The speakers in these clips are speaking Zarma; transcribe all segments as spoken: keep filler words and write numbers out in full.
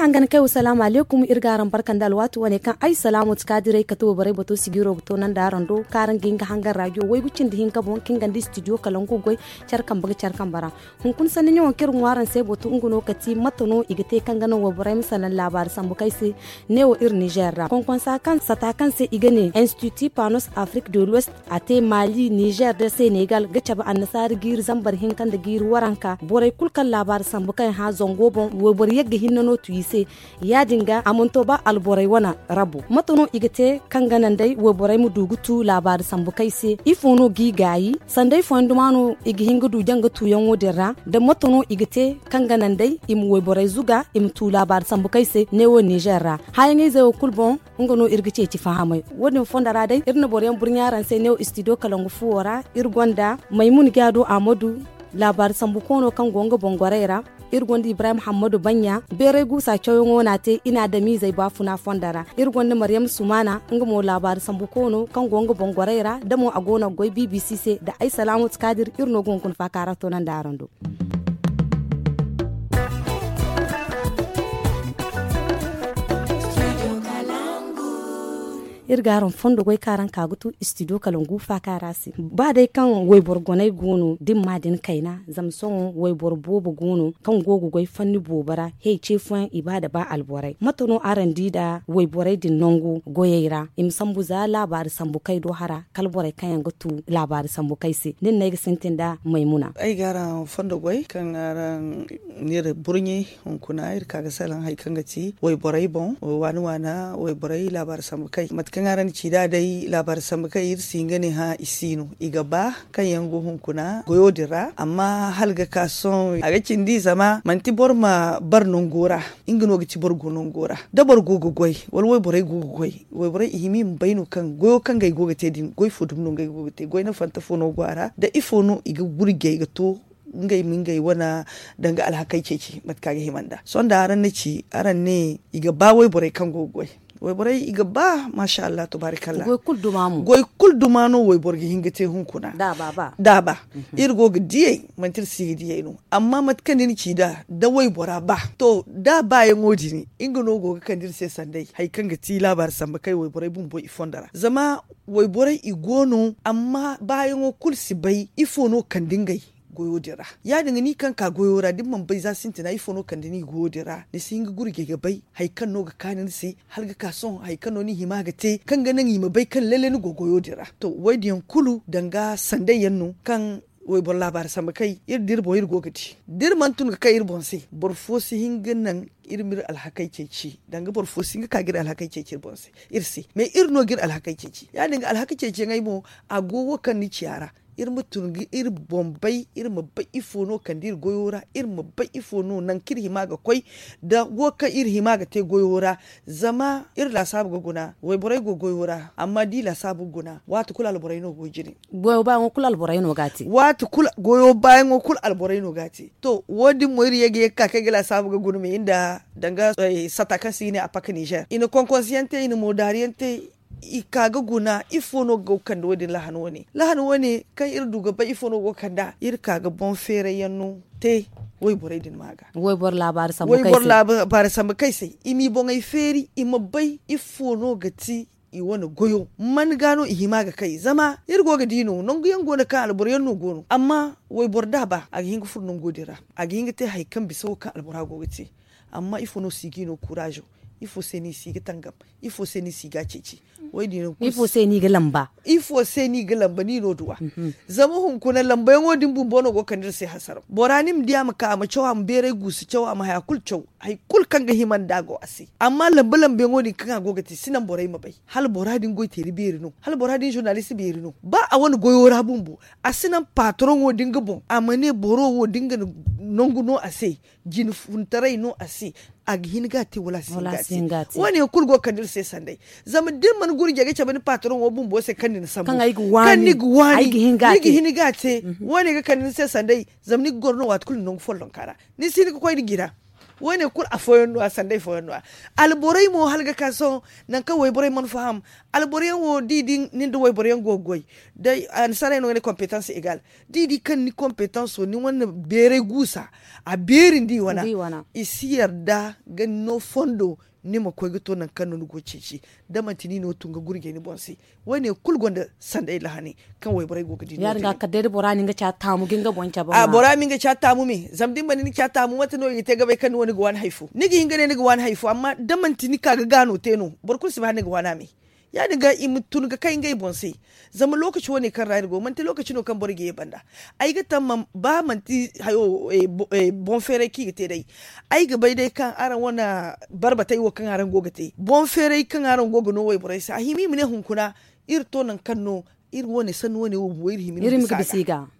Araŋ gana kay wa salaamu aleykum. Iri ga araŋ barka nda alwaati wane kaŋ ay salaamu ti kaadirey kate wayborey bato sijiro ga toonandi araŋ do kaŋ araŋ ga hin ga hangan raajiyo waygu cindi hinka boŋ kaŋ nga nda istidiyo kalangu ga goy care kambe ga care kambe ra. Hunkuna sanni ɲaŋo kaŋ iri ŋwa araŋ se bato nga no ka ti mate no i ga te kaŋ ga naŋ wayborey ma salaŋ laabaari sambu kaŋ ay se neewo iri nizeer ra konkonsa kaŋ sata kaŋ se i ga ne institut panos afrik de l'ouest, a te maali nizeer nda senegal ga cabe annasaari jiiri zambar hinka nda jiiri waranka borey kulu kaŋ laabaari sambu kaŋ ay hã zango boŋ wayboro yagga hinne no tu i se. Ya- din ga a mana to ba alborey wane rabo mate no i ga te kaŋ ga naŋ day wayborey ma du ga tu laabaari sambu kaŋ ay se ifo no g'i gaayi? Sanday fooyaŋ duma no i ga hin ga du janga tuuyaŋo din ra? Da mate no i ga te kaŋ ga naŋ day i ma wayborey zuga i ma tu laabaari sambu kaŋ ay se neewo nizeer ra? Hããyaŋ-izey wo kulu boŋ nga no iri ga ceeci fahamay. Wo- din fondo ra day iri na boro yaŋ burɲa araŋ se neewo istidiyo kalangu fuwo ra. Iri gonda maymun jaado ahmadu, laabaari sambu koono kaŋ go nga boŋ gorey ra. Iri gonda ibrahim hammadu banɲa, beeray guusa cawyaŋo no a te i na adamizey baafuna fondo ra. Iri gonda maryam sumaana nga mo laabaari sambu koono kaŋ go nga boŋ gorey ra da mo a go no ga goy bbc se nda ay salaamu ti kaadir iri no ga hunkuna faakaara toonandi araŋ do. Iri ga araŋ fondo goy kaŋ araŋ ka ga tu istidiyo kalangu faakaara se ba day kaŋ wayboro goney go no da ni ma din kayna zama sohõ wayboro boobo go no kaŋ go ga goy fanni boobo ra. He ce fooyaŋ i ba nda ba alborey mate no araŋ di nda wayborey din nangu goyey ra i ma sambu za laabaari sambu kay do hara kala borey kaŋ yaŋ ga tu laabaari sambu kay se nin no ay ga sintin nda maymuna. Ay ga araŋ fondo goy kaŋ araŋ n'iri burɲe hunkuna iri ka ga salaŋ hari kaŋ ga ti wayborey boŋ waana waana wayborey laabaari sambu kay mate kaŋ araŋ na ci nd'a day laabaari sambu kay iri si hin ga ne hã i si no i ga ba kaŋ yaŋ go hunkuna goyo din ra amma hala ga ka sohõ a ga cindi zama manti boro ma bare nango ra. Nga no ga ti boro go nango ra da boro go ga goy wala wayborey go ga goy wayborey i hima i ma bay no kaŋ goyo kaŋ ngey go ga te din goy fo dumi no ngey go ga te goy na fanta fo no go a ra da ifo no i ga gurjey ga to ngey ma ngey wane danga alhakey ceeci mate kaŋ a ga hima nd'a sohõ da araŋ na ci araŋ ne i ga ba wayborey kaŋ go ga goy wayborey i ga ba maasa allah tabaarikalla goy kulu duma no wayboro ga hin ga te hunkuna da a ba iri go ga diyey manti iri si ga diyey no amma mate kaŋ ni na ci nd'a da waybora ba to da a baayaŋo din nga no go ga kande iri se sanday hari kaŋ ga ti laabaari sambu kay wayborey bumbo i fondo ra zama wayborey i go no amma baayaŋo kulu si bay ifo no kande ngey goyo din ra ya- din ga ni kaŋ ka goyo ra da ni mana bay za sintina ifo no kande ni goyo din ra ni si hin ga gurjey ga bay hari kaŋ no ga kaanu ni se hala ga ka sohõ hari kaŋ no ni hima ga te kaŋ ga naŋ i ma bay kaŋ lalle ni go goyo din ra to wo- din yaŋ kulu danga sanday yaŋ no kaŋ wayboro laabaari sambu kay iri da iri boŋ iri go ga di da iri mana tun ga kay iri boŋ se boro fo si hin ga naŋ iri ma iri alhakey ceeci danga boro fo si hin ga ka ga iri alhakey ceeci iri boŋ se iri se mais iri no ga iri alhakey ceeci ya- din ga alhaka ceeciyaŋey mo a go wo kaŋ ni ci a ra iri ma tun ga iri boŋ bay iri ma bay ifo no kande iri goyo ra iri ma bay ifo no nangu kaŋ iri hima ga koy da wo kaŋ iri hima ga te goyo ra zama iri laasaabu ga guna wayborey go goyo ra amma da i laasaabu ga guna waati kulu alborey no go jine goyo baayaŋo kulu alborey no ga a te waati kulu goyo baayaŋo kulu alborey no ga a te to wo- din mo iri ye ga ye ga ka kaŋ ay ga laasaabu ga guna me nda danga sata kaŋ se i ne a paka nizer i na konkonsiyaŋ te i na moodaariyaŋ te i ka ga guna ifo no go ga kande wo- din lahan wane lahan wane kaŋ iri du ga bay ifo no go ga kand'a iri ka ga boŋ feerayyaŋ no te wayborey din ma ga wayboro laabaari sambu kay se i m'i boŋey feeri i ma bay ifo no ga ti i wane goyo man ga no i hima ga kay zama iri go ga di no nangu yaŋ go no kaŋ alboro yaŋ no go no amma wayboro da a ba a ga hin ga furo nango din ra a ga hin ga te hari kaŋ bisa wo kaŋ albora go ga te amma ifo no si ga i no kuraazo ifo se no i si ga tangam ifo se no i si ga a ceeci ifo se no i ga lamba ni no duw'a zama hunkuna lambayaŋo din bumbo no go ga kande iri se hasaraw bora ni ma di a ma ka a ma caw a ma beeray guusu caw a ma haya kulu caw hari kulu kaŋ ga hima nda a go a se amma lamba lambayaŋo din kaŋ a go ga te si naŋ borey ma bay hala bora din goy teeri beeri no hala bora din zurnalist beeri no ba a wane goyo ra bumbo a si naŋ paataroŋo din ga boŋ a ma ne boro wo da nga nangu no a se jine funtaray no a se a ga hin ga a te wala a si hin ga a te wo- ne yaŋ kulu go ga kande iri se sanday zama da iri mana gurjey ga cabe ni paataroŋo bumbo se kaŋ ni na sambu kaŋ ni ga waani ni ga hin ga a te wo- ne ga kande ni se sanday zama ni ga goro no waati kulu ni nangu follonka ra ni si hin ga koy nda jina Wo- ne kulu afooyaŋ no- ya sanday fooyaŋ no- ya. Alborey mo hala ga ka sohõ, nangu kaŋ wayborey mana faham. Alboro yaŋ wo da i di nin da wayboro yaŋ go ga goy, day annasaarey no ga ne kompetanse egal. Da i di kaŋ ni kompetanso ni wane beeray guusa, a beeri nda i wana, i si yarda ga ni no fondo, ni ma koy ga to nangu kaŋ no ni go ga ceeci. Da manti ni no tun ga gurjay ni boŋ se. Wo- ne kulu gonda sanday lahani kaŋ wayborey go ga di no- ya- din ga kala day da bora na nga ca taamu ga nga boŋ cabe. Bora ma nga ca taamu me zama da ni mana ni ca taamu mate no i ga te ga bay kaŋ ni wo ni ga waani hari fo ni ga hin ga ne ni ga waani hari fo amma da manti ni ka ga gaano te no boro kulu si ba hala ni ga waani a me. Ya- din ga i ma tun ga kay ngey boŋ se. Zama lookaci wo- ne kaŋ ra iri go manti lookaci no kaŋ boro ga ye banda. Ay ga tamma ba manti hayo boŋ feeray kaŋ i ga te day. Ay ga bay day kaŋ araŋ wane barbatey wo kaŋ araŋ go ga te boŋ feeray kaŋ araŋ go ga no wayborey se a hima i ma ne hunkuna iri to nangu kaŋ no iri wo- ne sanni wo- ne wo bumbo iri hima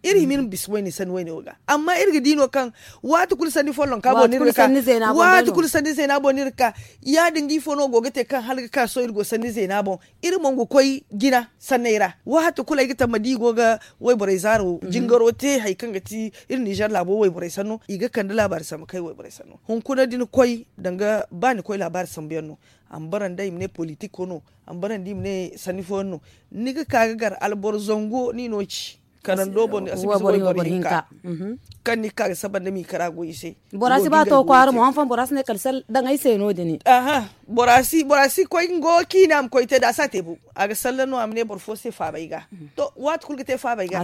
iri ma bisa wo- ne sanni wo- ne wo ga. Amma iri ga di no kaŋ waati kulu sanni follonka boŋ no iri ga ka. Waati kulu sanni zeena boŋ no iri ga ka. Ya- din ga ifo no go ga te kaŋ hala ga ka sohõ iri go sanni zeena boŋ. Iri mo ga koy jina sanney ra waati kulu ay ga tamma da i go ga wayborey zaaro jingaro te hari kaŋ ga ti iri ninzeer laabo wayborey sanno i ga kande laabaari sambu kaŋ ay wayborey sanno hunkuna da ni koy danga ba ni koy laabaari sambu yaŋ no. A ma bara nda i ma ne politiko no. A ma bara nda i ma ne sanni fooyaŋ no. Ni ga ka ga gar alboro zango ni no ci karando boŋ ni a si bisa wayboro hinka. Kaŋ ni ga ka ga saba nda miikara go i se. Bora si ba to kwaara mo han fooyaŋ bora si ne kala sal daŋ ay se no- din. Bora si koy nga wo kaŋ i ne a ma koy te da a si a te bo. A ga salla no a ma ne boro fo se faaba ay ga. To waati kulu ga te faaba ay ga.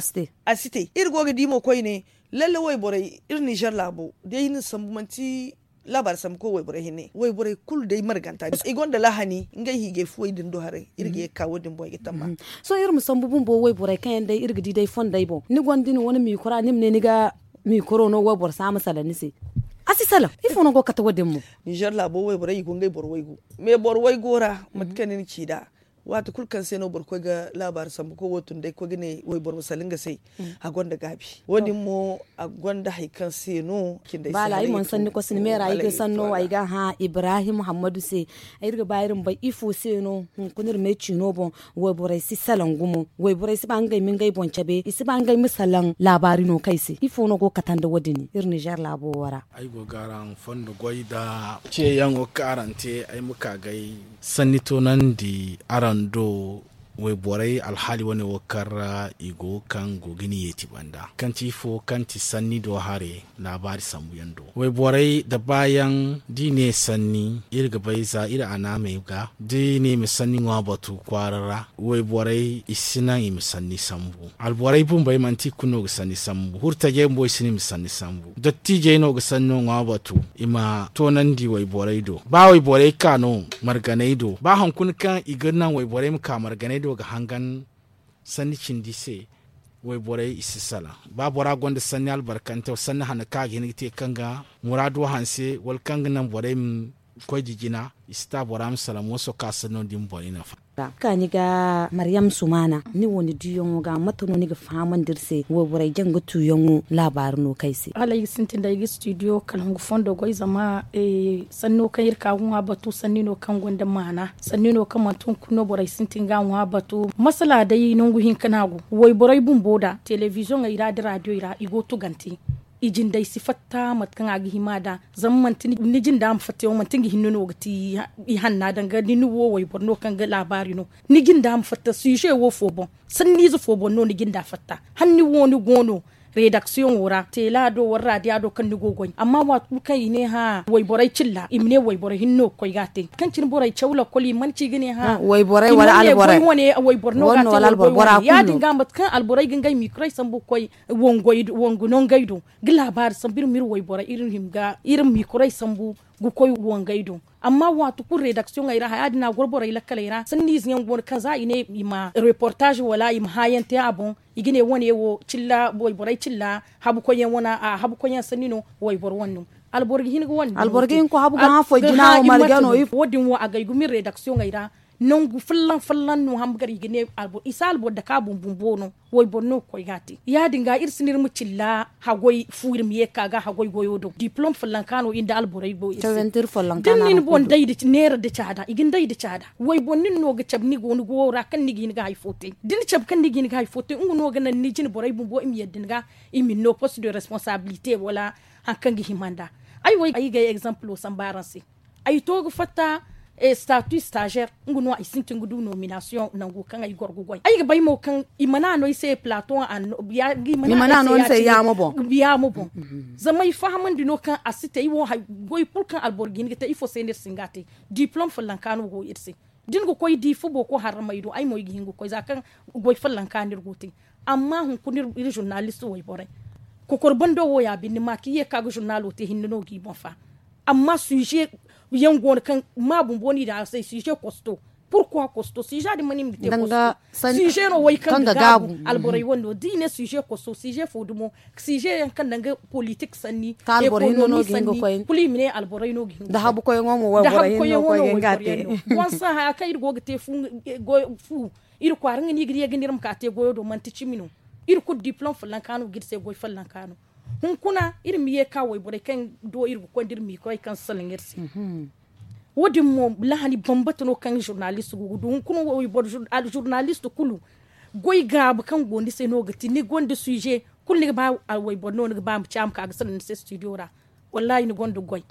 A si te iri go ga di mo koyne. Lalle wayborey iri ninzeer laabo day iri na sambu manti laabaari sambu koy wayborey hinne wayborey kulu day marganta i gonda lahani ngey hiijay fuwey din do haray iri ga ye ga ka wo- din boŋ ay ga tamma. Sohõ iri ma sambu bumbo wayborey kaŋ yaŋ day iri ga di day fondey boŋ ni gonda ni wane miikura ni ma ne ni ga miikuro no wayboro se a ma salaŋ ni se. A si salaŋ ifo no go ga kate wo- din mo? Ninzeer laabo wayborey i go ngey boro waygu. Me boro waygo ra mate kaŋ ni na ci nd'a waati kulu kaŋ se no boro koy ga laabaari sambu koy wo tun day koy ga ne wayboro ma salaŋ nga se. A gonda gaabi wo- din mo a gonda hari kaŋ se no cindey se. Baala ay mana sanni koy sinda meera ay ga sanno ay ga hã ibrahim hammadu se. Iri ga ba iri ma bay ifo se no hunkuna iri me ciino boŋ wayborey si salaŋ gumo wayborey si ba ngey ma ngey boŋ cabe i si ba ngey ma salaŋ laabaari no kaŋ ay se ifo no go ga kate nda wo- din iri ninzeer laabo wo ra? Ay go ga araŋ fondo goy nda ceeyaŋo kaŋ araŋ te ay ma ka ga ay sanni toonandi araŋ do. Wayborey alhaali wane wo kaŋ ra i go kaŋ go ga ni yeeti banda kaŋ ti ifo kaŋ ti sanni do hare laabaari sambu yaŋ do wayborey nda baayaŋ da i ne sanni iri ga bay za iri anaamey ga da i ne i ma sanni ŋwa batu kwaara ra wayborey i si naŋ i ma sanni sambu. Alborey bumbey manti i kulu no ga sanni sambu hurtajey bumbo i si naŋ i ma sanni sambu dottiijey no ga sanno ŋwa batu i ma toonandi wayborey do ba wayborey ka no marganey do ba hunkuna kaŋ i ga naŋ wayborey ma ka marganey do ga hangan sanni cindi se. Wayborey i si salaŋ ba bora gonda sanni albarkante sanni hanno kaŋ a ga hin ga te kaŋ ga muraado hanse wala kaŋ ga naŋ borey ma koy da jina i si ta bora ma salaŋ mooso kaŋ a sanno din boŋ i nafa. Kaani ga maryam sumaana ni wo ni diiyaŋo ga mate no ni ga fahamandi iri se wayborey jaŋ ga tuuyaŋo laabaari no kaŋ ay se? Hala ay ga sintin da ay ga studio kala hungu fondo goy zama sanno kaŋ iri ka ga ŋwa batu sanni no kaŋ gonda maana sanni no kaŋ manti hunkuna no borey sintin ga a ŋwa batu masala day nangu hinka no a go wayborey bumbo da telebiziyoŋey ra nda raadiyoy ra i go tugante. I jindey si fatta mate kaŋ a ga hima nd'a zama manti ni jinda ma fatta yaŋ manti nga hinne no ga ti i hanna danga da ni wo wayboro no kaŋ ga laabaari no ni jinda ma fatta size wo fo boŋ sanniize fo boŋ no ni jinda fatta hala ni wo ni go no redaksiyoŋo ra teela do wala raadiya do kaŋ ni go ga goy amma waati kulu kaŋ i ne hã wayborey cilla i ma ne wayboro hinne no ga koy ga a te kaŋ cine borey caw lakkol i mana ci ga ne hã wayborey wala alborey wayboro no ga a te wala alborey ya- din ga mate kaŋ alborey ga ngey miikurey sambu ga koy wangu nongey do ga laabaari sambu iri ma iri wayborey iri ma iri miikurey sambu ga koy wangey do. Amma waati kulu redaksiyoŋey ra haya din a goro borey lakkaley ra sanniize yaŋ go no kaŋ za i ne i ma reportaaz wala i ma hãayaŋ te a boŋ i ga ne wane wo cilla wayborey cilla habukoyyaŋ wane a habukoyyaŋ sanni no wayboro wane no. Alboro ga hin ga wane alboro ga hin ga habu ga hã foy jina wo marga no ifo wo- din wo agay gumo iri redaksiyoŋey ra nangu folloŋ folloŋ no hamba gar i ga ne alboro i si alboro dake a boŋ bumbo no. Wayboro no ga koy ga a te ya- din ga iri si no iri ma cilla haggoy fu iri ma ye ga ka ga haggoy goyo do diplom folloŋ ka no iri nda alborey go iri se da ni na ni boŋ day nda neera nda caada i ga ni day nda caada wayboro nin no ga cabe ni go ni goyo ra kaŋ ni ga hin ga hari fo te da ni cabe kaŋ ni ga hin ga hari fo te nga no ga naŋ ni jine borey bumbo i ma yadda ni ga i ma ni no post de responsabilite wala hari kaŋ ga hima nd'a. Ay wo ay ga ay egzampulo samba araŋ se. Ay to ga fatta statu stazer nga no ay sintin ga du nominasiyoŋ nangu kaŋ ay goro ga goy ay ga bay mo kaŋ i mana no ay se plato. Yaamo boŋ. Zama ay fahamandi no kaŋ a si te ay wo goy kulu kaŋ alboro ga hin ga te ifo se no iri si hin ga a te. Diplom follanka no go iri se. Da ni ga koy di fubo ko harramey do ay mo ay ga hin ga koy za kaŋ goy follanka no iri go te. Amma hunkuna iri zurnalisto wayborey kokor bando wo ya binde ma kaŋ i ye ga ka ga zurnalo te hinne no ga i boŋ fa. Amma suze yaŋ go no kaŋ ma bumbo no i daŋ a se suze kosto. Purkwa kosto suze din mana i ma ga te kosto. Suze no wo kaŋ ga gaabu alborey wane no da i ne suze kosto suze fo dumo. Suze yaŋ kaŋ danga politik sanni, ekonomi sanni, kulu i ma ne alborey no ga hin ga koy. Da habu koyaŋo mo wayborey yaŋ no. Konsa haya kaŋ iri go ga te fu iri kwaara nga no i ga di ga ne iri ma ka te goyo do manti cimi no. Iri kulu diplom follanka no ga iri se goy follanka no. Hunkuna iri ma ye ga ka wayborey kaŋ do iri ga koy nda iri ma i koy kaŋ salaŋ iri se. Wo- din mo lahani bambata no kaŋ zurnalist go ga du hunkuna wayboro zurnalist kulu goy gaabu kaŋ go ni se no ga ti ni gonda suze. Kulu ni ga ba wayboro no ni ga ba ma ci a ma ka ga salaŋ ni se studio ra. Wallahi ni gonda goy.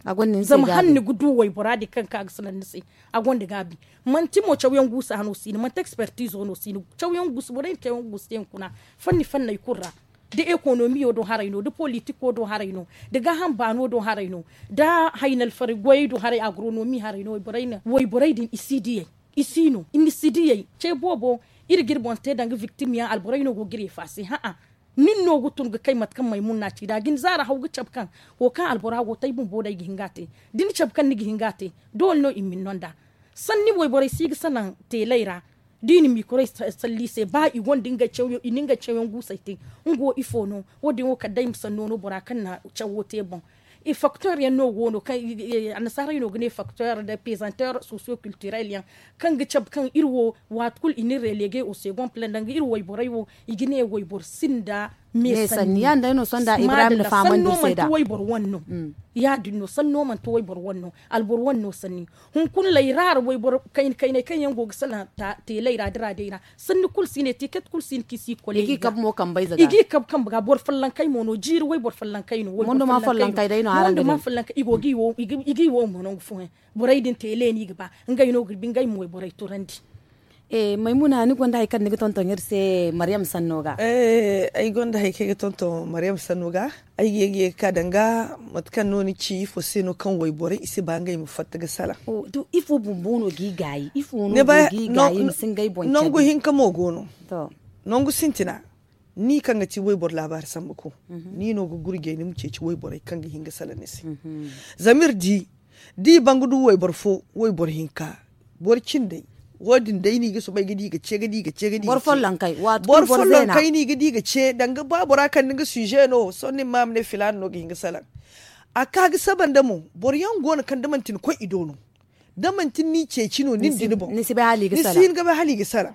Zama hala ni ga du waybora din kaŋ ga ka ga salaŋ ni se. A gonda gaabi. Manti mo cawyaŋ guusa no si no manti ekspertizo no si no. Cawyaŋ guusa borey na cawyaŋ guusa te hunkuna fanni fanney kulu ra. Da ekonomiyo do haray no da politiko do haray no, da gaaham baano do haray no, da haynalfari goyey do haray agronomi haray no wayborey din i si diyey. I si no i ma si diyey ce boobo. Iri ga iri boŋ te danga viktim yaŋ alborey no go ga iri efaase ha'a. Nin no ga tun ga kay mate kaŋ maymun na ci da a ga ni zaara haw ga cabe kaŋ wo kaŋ albora go te ay bumbo day ga hin ga a te. Da ni cabe kaŋ ni ga hin ga a te doole no i ma ni no nd'a. Sanni wayborey si ga salaŋ teeley ra. Da i na mikorey salli i se ba i gonda ngey cawyaŋ i na ngey cawyaŋ guusey te. Nga wo ifo no? Wo- din wo kala day ma sanno no bora kaŋ na cawo te boŋ. I faktor yaŋ no go no kaŋ annasaarey no ga ne faktor da pezanter socio culturel yaŋ kaŋ ga cabe kaŋ iri wo waati kulu i na iri relege au second plan danga iri wayborey wo i ga ne wayboro sinda me sanni. Ya- din day no sohõ da ibrahim na fahamandi iri se da sanno manti wayboro wane no. Ya- din no sanno manti wayboro wane no alboro wane no sanni. Hunkuna layraara wayboro kayna kayney kaŋ yaŋ go ga salaŋ teeley ra da raadey ra sanni kulu si ne tiket kulu si ne kaŋ i si i koleegi ga i ga i kabe kambe ga boro fallankey mo no jiiri wayboro fallankey no. Mondo ma fallankey day no araŋ ga ne i go ga i wo mo nangu fooyaŋ. Borey din teele no i ga ba ngey no ga bi ngey ma wayborey turandi. Maymuna ni gonda hari kaŋ ni ga tonton iri se maryam sanno ga? Ay gonda hari kaŋ ay ga tonton maryam sanno ga. Ay ga ye ga ye ga ka danga mate kaŋ no ni ci ifo se no kaŋ wayborey i si ba ngey ma fatta ga salaŋ? Ifo bumbo no ga i gaayi ifo no ga i gaayi ma si ngey boŋ cabe? Nangu hinka mo go no. Nangu sintina ni kaŋ ga ti wayboro laabaari sambu ko ni no ga gurjay ni ma ceeci wayborey kaŋ ga hin ga salaŋ ni se. Zama iri di da i ban ga du wayboro fo wayboro hinka boro cindey wo- din day no i ga soobay ga di ga ce ga di ga ce ga di ga ce. Boro follonkey no i ga di ga ce danga ba bora kande nga sujet no sohõ nin ma a ma ne filaana no ga hin ga salaŋ. A ka ga saba nda mo boro yaŋ go no kaŋ da manti ni koy i do no da manti ni n'i ceeci no nin da ni boŋ ni si hin ga bay hala i ga salaŋ.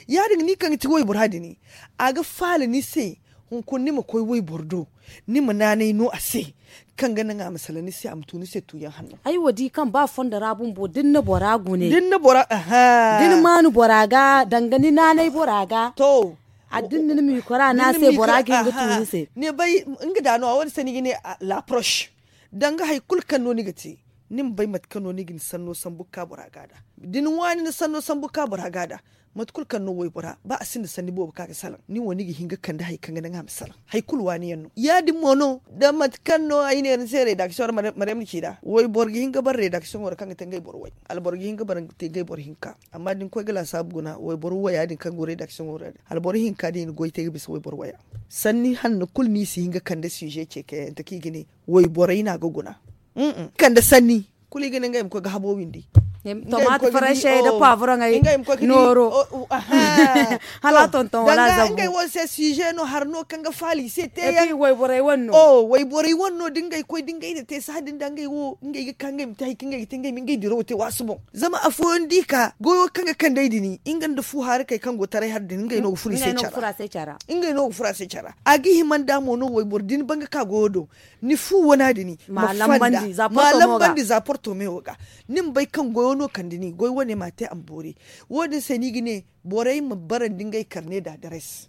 Ya- din ga ni kaŋ ga ti waybora din a ga faala ni se. Hunkuna ni ma koy wayboro do ni ma naanay no a se kaŋ ga naŋ a ma salaŋ ni se a ma tu ni se tuuyaŋ hanno. Ay wo di kaŋ ba fondo ra bumbo da ni na bora gune da ni na bora aha da ni maanu bora ga danga ni naanay bora ga to. Addin da ni ma i kora no a se bora ga hin ga tu ni se. Ni bay nga da no a wo- din se ni ga ne laproche danga hari kulu kaŋ no ni ga te ni ma bay mate kaŋ no ni ga ni sanno sambu ga ka bora ga nd'a. Da ni waani ni sanno sambu ga ka bora ga nd'a mate kulu kaŋ no waybora ba a sinda sanni boobo kaŋ a ga salaŋ ni wo ni ga hin ga kande hari kaŋ ga naŋ a ma salaŋ hari kulu waani yaŋ no ya- din mo no da mate kaŋ no ay ne ni se redaksiyoŋ ra maryam na ci nd'a wayboro ga hin ga bara redaksiyoŋo ra kaŋ ga te ngey boro way alboro ga hin ga bara te ngey boro hinka. Amma da ni koy ga laasaabu guna wayboro waya din kaŋ go redaksiyoŋo ra din alboro hinka din i na goy te ga bisa wayboro waya. Sanni hanno kulu no i si hin ga kande sujet ceekayante kaŋ i ga ne wayborey no a ga guna. Kande sanni kulu i ga ne ngey ma koy ga habo windi. Tomaati faransey nda poivrongey nooro. Hala a tonton wala a zabu ngey wo se sujet no hari no kaŋ ga faala i se teeyaŋ. Wayborey wane no da ngey koy da ngey na te sahã din da ngey wo ngey ga ka ngey ma te hari kaŋ ngey ga te ngey ma ngey dirawo te waasu boŋ. Zama afooyaŋ da i ka goyo kaŋ ga kandey din nga nda fu haarakey kaŋ go taray hari din ngey no ga furo i se care ra. Ngey no ga furo a se care ra. A ga hima nd'a mo no wayboro da ni ban ga ka goyo do ni fu wana din ma fanda ma lambandi za porto mewo ga. Ni ma bay kaŋ goyo no kande ni goy wane ma a te a ma boori. Wo- din se no i ga ne borey ma barandi ngey karne da dares.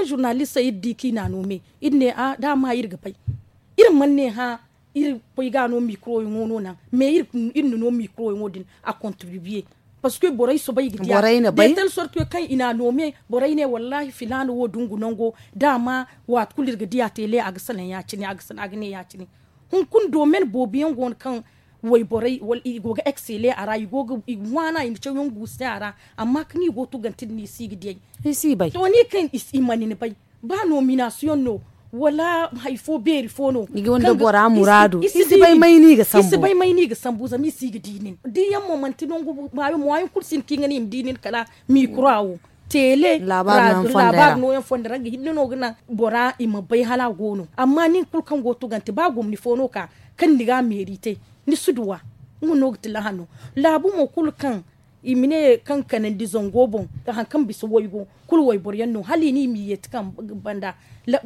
kaŋ zurnalista iri di kaŋ i n'a no me, iri ne a da a ma iri ga bay. Iri mana ne hã iri koy ga no mikroyaŋo no naŋ, mais iri na no mikroyaŋo din a kontribiye. Parce que borey soobay ga diya de telle sorte que kaŋ i n'a no me, borey ne wallahi filaana wo dungu nango, da a ma waati kulu iri ga diya tele a ga salaŋ ya- cine a ga ne ya- cine. Hunkuna domen boobo yaŋ go no kaŋ wayborey wala i go ga eksele a ra i go ga i ga waana i na cawyaŋ guusu te a ra. Amma kaŋ i go ga tugante din i si ga diyay. I si bay to ni kaŋ i mana ni bay. Ba nominasiyoŋ no wala hari fo beeri fo no i ga wanda bora muraadu i si bay may no i ga sambu zama i si ga di nin diyaŋ mo manti nangu maayo mo hayaŋ kulu si hin kaŋ i ga ne i ma di nin kala mikura wo. teele laabaari nooyaŋ fondo ra nga hinne no ga naŋ bora i ma bay hala a go no. Amma nin kulu kaŋ go tugante ba gomni fo no ka kaŋ ni ga meeri te, ni si duw'a. Nga no ga ti lahano laabu mo kulu kaŋ i ma ne kaŋ kanandi zango boŋ, hari kaŋ bisa waygo kulu wayboro yaŋ no hala i ne i m'i yeeti kaŋ banda.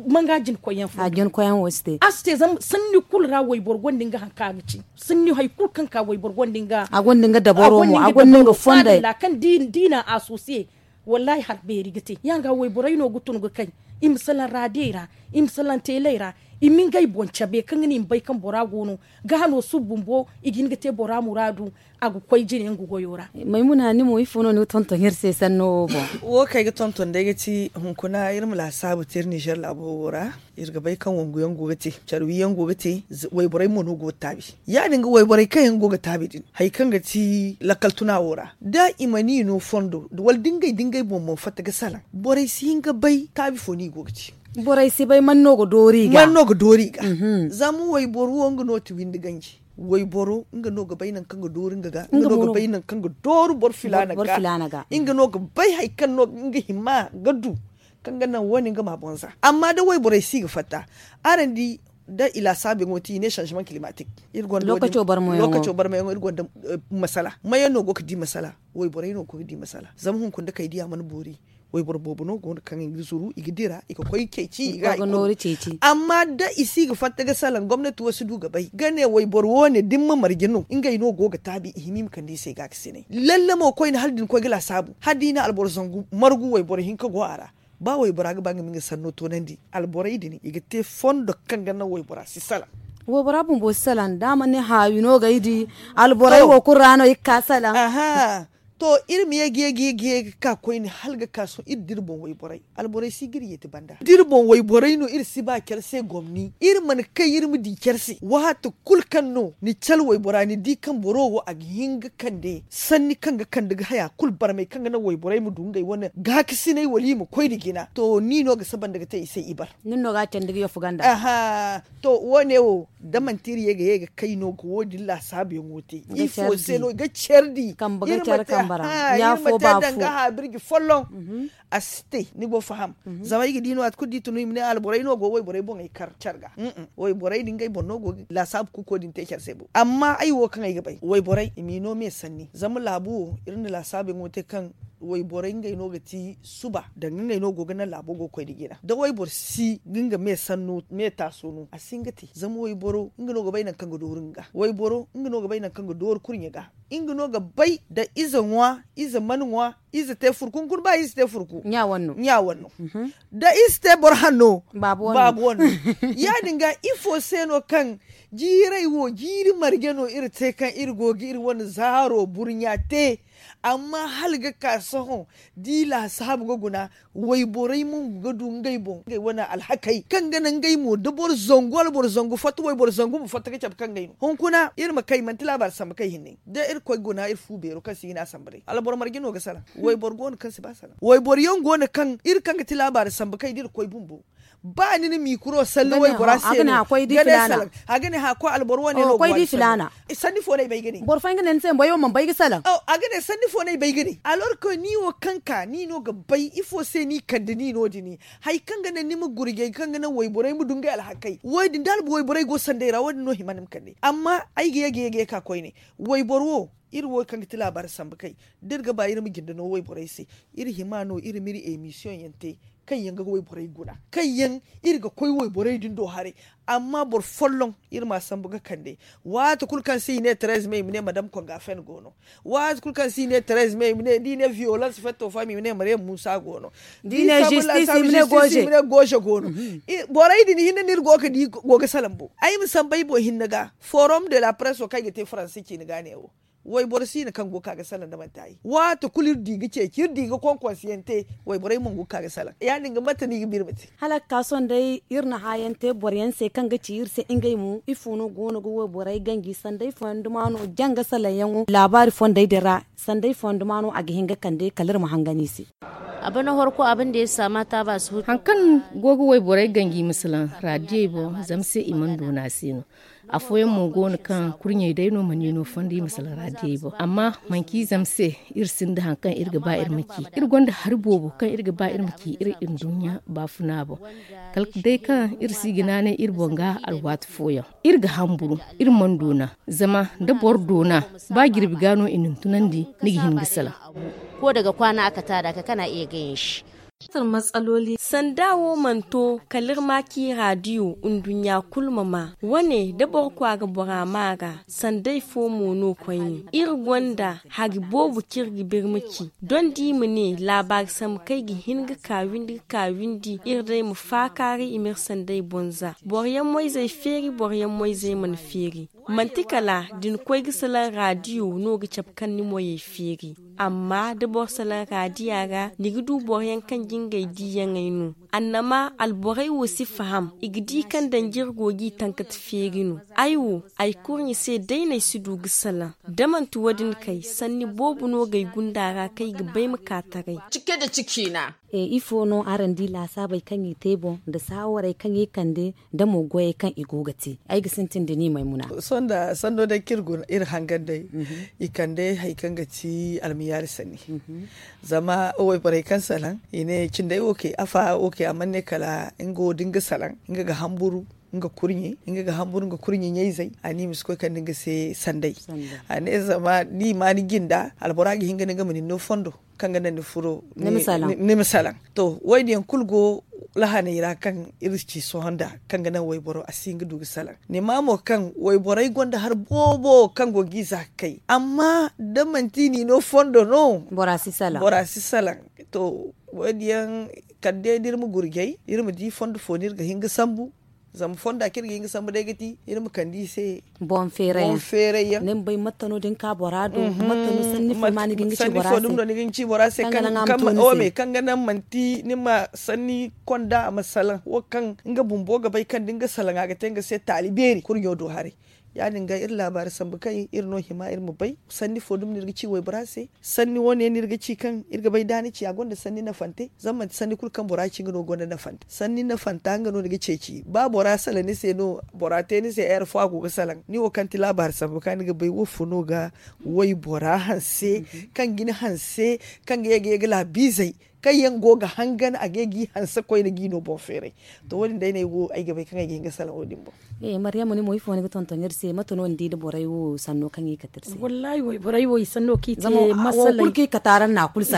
Manga jina koy yaŋ fo a jina koy yaŋ wo si te. A si te zama sanni kulu ra wayboro gonda nga hari kaŋ a ga ci. Sanni hari kulu kaŋ ka wayboro gonda nga a gonda nga dabaro mo a gonda nga fondey. Kaŋ diina a soose. Wallaahi hari beeri ga te ya nga wayborey no ga tun ga kay. I ma salaŋ raadiyey ra, i ma salaŋ teeley ra, i ma ngey boŋ cabe kaŋ ga ne i ma bay kaŋ bora go no. Ga hano suba bumbo i ga hin ga te bora muraadu. A ga koy jine nga goyo ra. Maymuna ni mo ifo no ni ga tonton iri se sanno wo boŋ? Wo kaŋ ay ga tonton day ga ti hunkuna iri ma laasaabu te iri ninzeer laabo wo ra. Iri ga bay kaŋ wangu yaŋ go ga te care wi yaŋ go ga te. Wayborey mo no go ga taabi ya- din ga wayborey kaŋ yaŋ go ga taabi din hari kaŋ ga ti lakkal tuna wo ra da i ma ni no fondo wala da ngey da ngey boŋ boŋ fatta ga salaŋ borey si hin ga bay taabi fo no i go ga te. Borey si bay man no ga doori i ga zama wayboro wo nga no ti windi ganji. Wayboro nga no ga bay nangu kaŋ ga dooru nga ga nga no ga bay nangu kaŋ ga dooru boro filaana ga nga no ga bay hari kaŋ no nga hima ga du kaŋ ga naŋ wo- ne nga ma boŋ za amma da wayborey si ga fatta araŋ di da i laasaabu yaŋo ti i ne sanzemaŋ kilimatik. Iri gonda lookaco barmayaŋo iri gonda masala mayaŋ no go ga di masala. Wayborey no go ga di masala zama hunkuna da kay diya mana boori. Wayboro boobo no go no kaŋ i ga zuru i ga dira i ga koy ceeci i ga nooru ceeci. Amma da i si ga fatta ga salaŋ gomnati wo si du ga bay ga ne wayboro wo- ne da ni ma marje no ngey no go ga taabi i hima i ma kande i se ga ga sinay lalle mo koyne hala da ni koy ga laasaabu hala da i na alboro zangu margu wayboro hinka go a ra. Ba waybora ga ba nga ma nga sanno toonandi alborey din i ga te fondo kaŋ ga naŋ waybora si salaŋ. Waybora bumbo si salaŋ da a mana ne haawi no ga ay di alborey wo kulu ra no i ga ka salaŋ. To iri ma ye ga ye ga ye ga ka koyne hala ga ka sohõ iri da iri boŋ wayborey alborey si ga iri yeeti banda da iri boŋ wayborey no iri si ba care se gomni iri mana kay iri ma di care se waati kulu kaŋ no ni care waybora ni di kaŋ boro wo a ga hin ga kande sanni kaŋ ga kande ga haya kulu barmay kaŋ ga naŋ wayborey ma du ngey wane gaakasinay wala i ma koy nda jina to ni no ga saba nda ga te i se ibar. Nin no ga a candi ga yaffu ganda. To wo- ne wo da manti iri ye ga ye ga kay no ga wo- din laasaabuyaŋo te ifo se no i ga care di kambe ga care kambe ra ɲa fo ba fo danga haabirji folloŋ. A si te ni go faham. Zama ay ga di no waati kulu da i tun i ma ne alborey no go wayborey boŋey kar care ga. Wayborey din ngey boŋ no go ga laasaabu kuuko din te care se bo amma ay wo kaŋ ay ga bay wayborey i m'i no me sanni zama laabu wo iri na laasaabuyaŋo te kaŋ wayborey ngey no ga ti suba danga ngey no go ga naŋ laabo go ga koy nda jina da wayboro si ga nga me sanno me taaso no a si hin ga te zama wayboro nga no ga bay nangu kaŋ ga dooru nga ga wayboro nga no ga bay nangu kaŋ ga dooru kurɲe ga nga no ga bay da ize ŋwa ize mana ŋwa ize te furku hunkuna ba ize te furku ɲa wane no da ize te boro hanno baabu wane no. Ya- din ga ifo se no kaŋ jiirey wo jiiri marje no iri te kaŋ iri go ga iri wane zaaro burɲa te amma hala ga ka sohõ da i laasaabu ga guna wayborey mongu ga du ngey boŋ ngey wane alhakey kaŋ ga naŋ ngey mo da boro zangu wala boro zangu fatta wayboro zangu ma fatta ga cabe kaŋ ngey no hunkuna iri ma kay manti laabaari sambu kay hinne da iri koy guna iri fu beero kaŋ si hin a sambu day alboro marje no ga salaŋ wayboro go no kaŋ si ba salaŋ wayboro yaŋ go no kaŋ iri kaŋ ga ti laabaari sambu kay da iri koy bumbo ba ni na mikro salle waybora se no ga ne salaŋ a ga ne hã koy alboro wane no ga wani sanni fo no ay bay ga ne boro fooyaŋ ga ne ni se boro yaŋ mana bay ga salaŋ a ga ne sanni fo no ay bay ga ne alors que ni wo kaŋ ka ni no ga bay ifo se ni kande ni no- din hari kaŋ ga naŋ ni ma gurjay kaŋ ga naŋ wayborey ma du ngey alhakey wo- din da albu wayborey go sanday ra wo- din no hima ni ma kande amma ay ga ye ga ye ga ye ka koyne wayboro wo iri wo kaŋ ga ti laabaari sambu kay da iri ga ba iri ma jinde no wayborey se iri hima no iri ma iri emisiyoŋ yaŋ te kaŋ yaŋ ga wayborey guna kaŋ yaŋ iri ga koy wayborey din do haray amma boro folloŋ iri m'a sambu ga kande waati kulu kaŋ se i ne terez me i ma ne madam konga fen go no waati kulu kaŋ se i ne terez me i ma ne da i ne viyolans fetto fo i ma ne mariyam muusa go no da i ne zistis i ma ne goze go no borey din hinne no iri go ga di go ga salaŋ bo ay ma sambu ay boŋ hinne ga forom de la press wo kaŋ ay ga te faransi ciine ga ne wo wayboro siina kaŋ go ga ka ga salaŋ da manti ay waati kulu iri di ga ceeci iri di ga konkonsiyaŋ te wayborey mo go ga ka ga salaŋ ya- din ga mate no i ga ba iri ma te hala ga ka sohõ day iri na hãayaŋ te boro yaŋ se kaŋ ga ci iri se ngey mo ifo no go no ga wayborey ganji sanday fooyaŋ duma no jaŋ ga salaŋ yaŋo laabaari fondey din ra sanday fooyaŋ duma no a ga hin ga kande kala iri ma hangan i se. Hari kaŋ go ga wayborey ganji ma salaŋ raadiyey boŋ zama se i mana doona se no. Afooyaŋ mo go no kaŋ kurɲey day no mana i no fondo i ma salaŋ raadiyey boŋ. Amma manci zama se iri sinda hari kaŋ iri ga ba iri ma ci. Iri gonda hari boobo kaŋ iri ga ba iri ma ci iri nduɲɲa baafuna boŋ. Kala day kaŋ iri si ga naanay iri boŋ ga alwaati fooyaŋ, iri ga hamburu, iri mana doona. Zama da boro doona, ba jirbi ga no i na ni tunandi, ni ga hin ga salaŋ. Ko daga kwaana a kata da ka kana iya gayan shi. Sanda wo mana to kala iri ma ci raadiyo nduɲɲa kulu ma ma. Wane da boro kwaara bora ma a ra, sanday fo mo no koyne. Iri gonda hari boobo kaŋ iri ga birma ci. Doŋ da i ma ne laabaari sambu kaŋ ay ga hin ga ka windi ga ka windi iri day ma faakaaray i ma iri sanday boŋ za. Boro yaŋ mo-izey feeri, boro yaŋ mo-izey mana feeri. Manti kala da ni koy ga salaŋ raadiyo no ga cabe kaŋ ni moyey feeri. Amma da boro salaŋ raadiya ra, ni ga du boro yaŋ kaŋ ga ngey diiyaŋey no. Annama alborey wo si faham, i ga di kaŋ danji iri go g'i tankati feeri no. Ay wo, ay kurɲe se day no ay si du ga salaŋ. Da manti wo- din kay, sanni boobo no g'ay gunda ra kaŋ ay ga bay ma ka taray. Cike da cikiina. Ifo no araŋ di laasaabey kaŋ i te boŋ nda saawarey kaŋ i kande, da mo goyey kaŋ i go ga te? Ay ga sintin da ni maymuna. Sohõ nda sanno day kaŋ iri guna iri hangan day, i kande hari kaŋ ga ti almiyaari sanni. Zama wayborey kaŋ salaŋ i ne cindey wo ke afa wo ke a mana ne kala nga wo da nga salaŋ, nga ga hamburu nga kurɲe, nga ga hamburu nga kurɲe ɲayzey. A ne i ma si koy kande nga se sanday. A ne zama da i ma ni jinda albora ga hin ga ne nga ma ni no fondo kaŋ ga naŋ ni furo ni ma salaŋ. To wo- din yaŋ kulu go lahaney ra kaŋ iri ci sohõ nda kaŋ ga naŋ wayboro a si hin ga du ga salaŋ. Ni ma mo kaŋ wayborey gonda hari boobo kaŋ go g'i za ga kay, amma da manti i n'i no fondo no bora si salaŋ. To wo- din yaŋ kala day da iri ma gurjay iri ma di fondo fo no iri ga hin ga sambu. Zama fonda kaŋ iri ga hin ga sambu day ga ti iri ma kande i se boŋ feeray yaŋ. Ni ma bay matta no da ni ka bora do, matta no sanni fo ma ni ga hin ga ci bora se kaŋ ga naŋ manti ni ma sanni konda a ma salaŋ wo kaŋ nga bumbo ga bay kaŋ da nga salaŋ a ga te nga se taali beeri kurɲo do haray. Ya- din ga iri laabaari sambu kaŋ iri no hima iri ma bay sanni fo dumi no iri ga ci waybora se. Sanni wo- ne no iri ga ci kaŋ iri ga bay da ni ci a gonda sanni nafante zama manti sanni kulu kaŋ bora ci nga no gonda nafante. Sanni nafanta nga no ni ga ceeci ba bora salaŋ ni se no bora te ni se heure fo a go ga salaŋ ni wo kaŋ ti laabaari sambu kaŋ ni ga bay wo fo no ga waybora hanse kaŋ ga ni hanse kaŋ ga ye ga ye ga laabiizey kaŋ yaŋ go ga hangan a ga ye g'i hanse koyne g'i no boŋ feeray. To wo- din day no ay go ay ga bay kaŋ ay ga hin ga salaŋ wo- din boŋ. Maryama ni mo ifo ni ga tonton iri se mate no ni di nda borey wo sanno kaŋ i kate iri se? Wallaahi wayborey wo i sanno kaŋ i te masaley.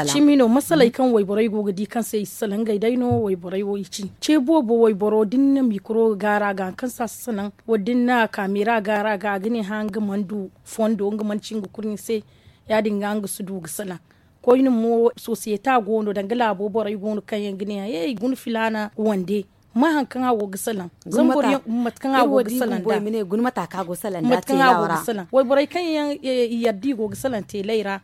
Cimi no masaley kaŋ wayborey go ga di kaŋ se i si salaŋ ngey day no wayborey wo i ci ce boobo wayboro da ni na mikoro ga gaara ga hari kaŋ se a si salaŋ wala da ni na kaamera gaara ga a ga ne hã nga mana du fondo nga mana ci nga kurɲe se. Ya- din ga nga si du ga salaŋ koyne mo sosiyeta go no danga laabo borey go no kaŋ yaŋ ga ne hã hey guna filaana wande ma hari kaŋ a go ga salaŋ. Zama boro yaŋ mate kaŋ a go ga salaŋ da mate kaŋ a go ga salaŋ wayborey kaŋ yaŋ i yadda i go ga salaŋ teeley ra.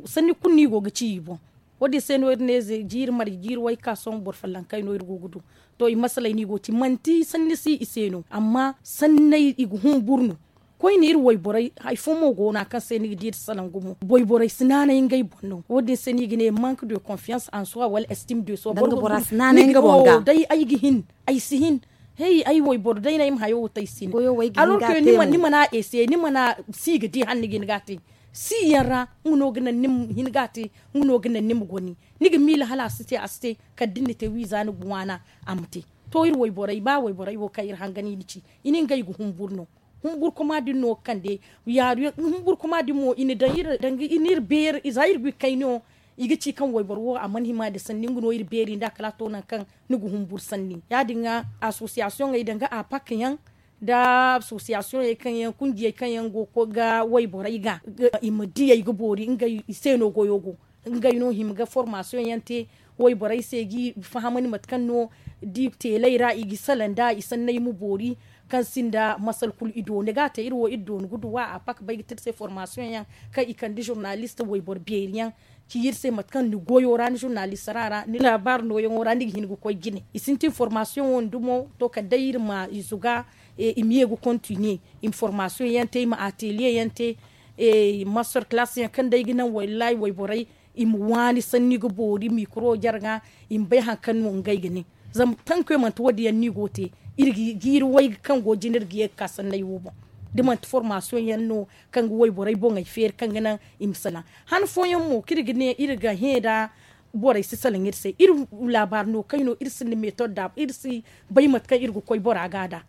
Sanni kulu no i go ga ci i boŋ. Wo- din se no iri ne jiiri marje jiiri wayka sohõ boro follonkey no iri go ga du. To i masaley no i go ga ci manti sanni si i se no amma sanney i ga humburu no. Koyne iri wayborey hari fo mo go no a kaŋ se ni ga di iri salaŋ gumo wayborey si naanay ngey boŋ no wo- din se no i ga ne manque de confiance en soi wala estime de soi boro ga bora si naanay nga boŋ ga day ay ga hin ay si hin. Hey ay wayboro day no ay ma hayo wo te ay si hin. Alors que ni mana ese ni mana si ga di hala ni ga hin ga a te si yaŋ ra nga no ga naŋ ni ma hin ga a te. Nga no ga naŋ ni ma goni ni ga miila hala a si te a si te kala da ni na te wiiza ni ga waana a ma te. To iri wayborey ba wayborey wo kaŋ iri hangan i na ci i na ngey ga humburu no. Humburkuma din no ga kande yaaru yaŋ humburkuma din mo i na daŋ iri danga i na iri beeri za iri ga i kayno. I ga ci kaŋ wayboro wo a mana hima nda sanni nga no iri beeri nda kala a to nangu kaŋ ni ga humburu sanni ya- din ga asosiyasiyoŋey danga a pak yaŋ nda asosiyasiyoŋey kaŋ yaŋ kunjiyey kaŋ yaŋ go ga koy ga wayborey ga i ma diyey ga boori ngey i se no goyo go. Ngey no hima ga formasiyoŋ yaŋ te wayborey se g'i fahamandi mate kaŋ no da i teeley ra i ga i salaŋ nd'a i sanney ma boori kaŋ sinda masal kulu i dooni ga a te iri wo iri dooni ga duw'a a pak bay ga te iri se formasiyoŋ yaŋ kaŋ i kande zurnalist wayboro beeri yaŋ ci iri se mate kaŋ ni goyo ra ni zurnalistara ra ni laabaari nooyaŋo ra ni ga hin ga koy jine i sintin formasiyoŋo nda mo to kala day iri ma i zuga. I ma ye ga kontiniye i ma formasiyoŋ yaŋ te i ma ateliye yaŋ te. Mastor kalaasi yaŋ kaŋ day ga naŋ wallaahi wayborey i ma waani sanni ga boori mikoro jarga i ma bay hari kaŋ no ngey ga ne. Zama tankoy manti wo- din yaŋ no i go ga te iri ga jiiri wayga kaŋ go jina iri ga ye ga ka sanney wo boŋ. Da manti formaasiyoŋ yaŋ no kaŋ ga wayborey boŋey feeri kaŋ ga naŋ i ma salaŋ. Han fooyaŋ mo kaŋ iri ga ne iri ga hẽ nda borey si salaŋ iri se, iri laabaari no kay no, iri sinda metod da iri si bay mate kaŋ iri ga koy bora ga nd'a.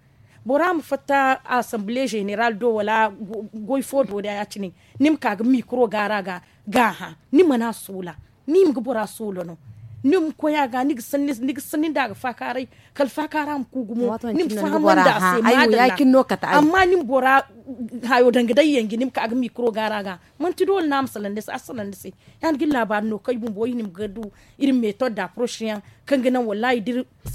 Bora ma fatta assemblée générale do wala goy fo do da ya- cine, ni ma ka ga mikro gaara ga hã, ni mana soola, ni ma ga bora soola no. Ni ma koy a ga ni ga sanni nda a ga faakaaray, kala faakaara ma ku gumo. Ni ma fahamandi a se madalla. Amma ni ma bora hayo danga day yanji ni ma ka ga mikro gaara ga, manti doole no a ma salaŋ ni se, a salaŋ ni se. Ya- din ga iri laabaari no kaŋ ay bumbo ay hima ga du iri metod da proche yaŋ kaŋ ga naŋ wallaahi da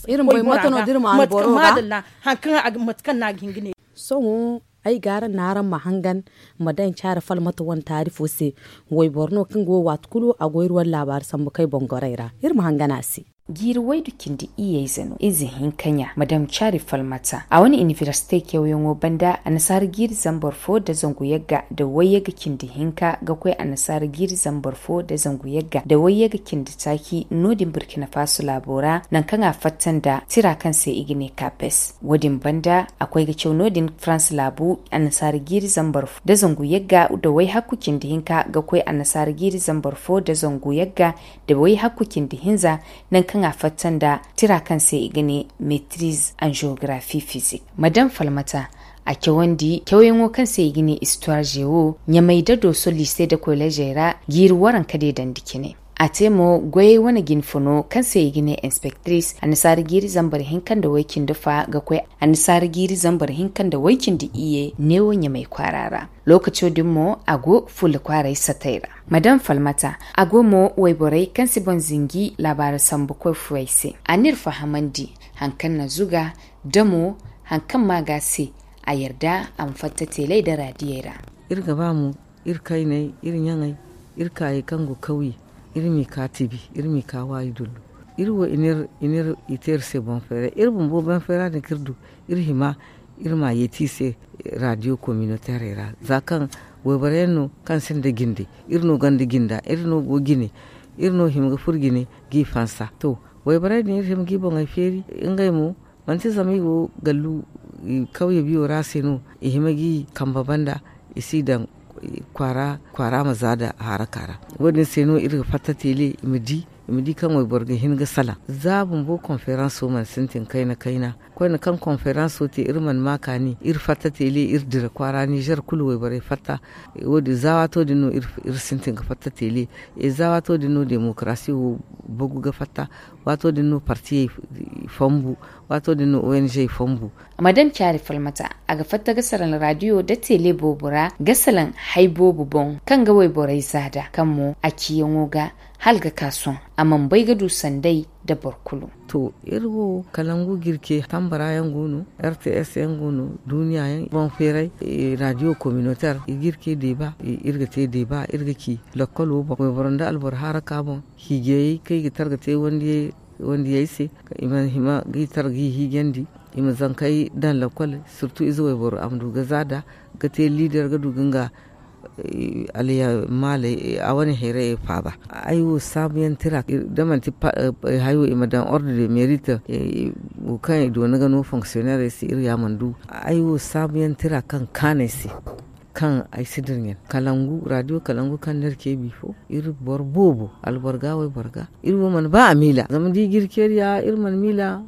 iri koy bora ga madalla. Hari kaŋ mate kaŋ no a ga hin ga ne. Sohõ ay ga araŋ no araŋ ma hangan ma daŋ caari falmata wane taarifo se. Wayboro no kaŋ go waati kulu a go iri wane laabaari sambu kaŋ ay boŋ gorey ra, iri ma hangan a se. Jiiri waydu cindi iyye ize no ize hinka ɲa madam caari falmata a wane inibersite kewyaŋo banda annasaara jiiri zambar fo nda zangu yagga nda wayyagga cindi hinka ga koy annasaara jiiri zambar fo nda zangu yagga nda wayyagga cindi taaci no- din burkina faso laabo ra nangu kaŋ a fatta nda tira kaŋ se i ga ne kapes. Wo- din banda a koy ga caw no- din farans laabu annasaara jiiri zambar fo nda zangu yagga nda wayhakku cindi hinka ga koy annasaara jiiri zambar fo nda zangu yagga nda wayhakku cindi hinza, nangu kaŋ a fatta nda tira kaŋ se i ga ne metiriz en geografi fizik. Madam falmata a cawandi cawyaŋo kaŋ se i ga ne istuwar jewo ɲamay nda dooso liise nda koleezey ra jiiri waranka deedandi cine. A te mo goyey wane jinfo no kaŋ se i ga ne inspektiris annasaara jiiri zambar hinka nda way- cindi fa ga koy annasaara jiiri zambar hinka nda way- cindi iyye neewo ɲamay kwaara ra. Lookaco din mo a go fulla kwaaray satay ra. Madam falmata a go mo wayborey kaŋ si boŋ zinji laabaari sambukoy fooyey se. A n'iri fahamandi hari kaŋ na zuga da mo hari kaŋ ma ga se a yarda a ma fatta teeley nda raadiyey ra. Iri ga ba mo iri kayney, iri ɲaŋey, iri kaayey kaŋ go kawye, iri m'i ka tibi, iri m'i ka waayi dullu. Iri wo i n'iri i te iri se boŋ fayra iri bumbo boŋ fayra din kaŋ iri du, iri hima iri m'a yeeti i se. Raadiyo kominoteerey ra za kaŋ wayboro yaŋ no kaŋ sinda jinde, iri no gonda jinda, iri no go jine, iri no hima ga furo jine g'i fansa. To, wayborey din iri hima g'i boŋey feeri. Ngey mo manti zama i go gallu kawye biyo ra se no i hima g'i kambe banda, i si daŋ kwaara ma za nda haraka ra. Wo- din se no iri ga fatta teele i ma di i ma di kaŋ wayboro ga hin ga salaŋ za bumbo konferanso mana sintin kayna kayna. Koyne kaŋ konferanso te iri mana ma kaani iri fatta teele iri dira kwaara nizer kulu wayborey fatta. Wo- din za waato din no iri sintin ga fatta teele. Za waato din no demokarasi wo bagu ga fatta. Waato din no partiyey fambu. Waato din no ong fambu. Madam caari falmata a ga fatta ga salaŋ raadiyo nda teele boobo ra ga salaŋ hay boobo boŋ kaŋ ga wayborey za nd'a kaŋ mo a ciyaŋo ga hala ga ka sohõ a mana bay ga du sanday nda boro kulu. To, iri wo kalangu ga iri ce tambara yaŋ go no, rts yaŋ go no, duuniya yaŋ boŋ feeray, raadiyo kominoteer i ga iri ce deeba. Iri ga te deeba iri ga ci lakkolo boŋ wayboro nda alboro haraka boŋ, hiijayey kaŋ i ga targa te wandiyey se, i ma hima g'i tar g'i hiijandi, i ma zankey daŋ lakkol. Sirtu ize wayboro a ma du ga za nd'a ga te liider ga du ga nga aliyamaaley a wane hayray faaba. Ay wo saabuyaŋ tira da manti hayo i ma daŋ ordre de merite wo kaŋ i doona ga no fonksiyoneerey se iri ya mana du. Ay wo saabuyaŋ tira kaŋ kaanay se kaŋ ay si dirɲan kalangu raadiyo kalangu kaŋ no iri ce bifo iri boro boobo alboro ga wayboro ga. Iri wo mana ba a miila zama da i ga iri ceeriya iri mana miila.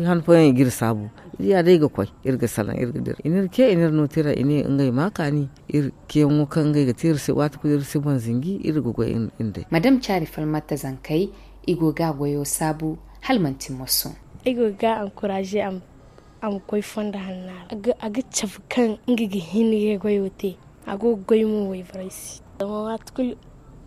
Han fooyaŋ i ga iri saabu iri ya day ga koy iri ga salaŋ iri ga dira i n'iri ce i n'iri no tira i ne ngey ma kaani. Iri ceeyaŋo kaŋ ngey ga te iri se waati kulu iri si boŋ zinji iri ga goy iri day. Madam caari falmata zankey i go ga a goyo saabu hala manti moso. Ay go ga a ankuraaze a ma koy fondo hanna ra a ga cabe kaŋ nga ga hin ga goyo te. A go ga goy mo wayborey se zama waati kulu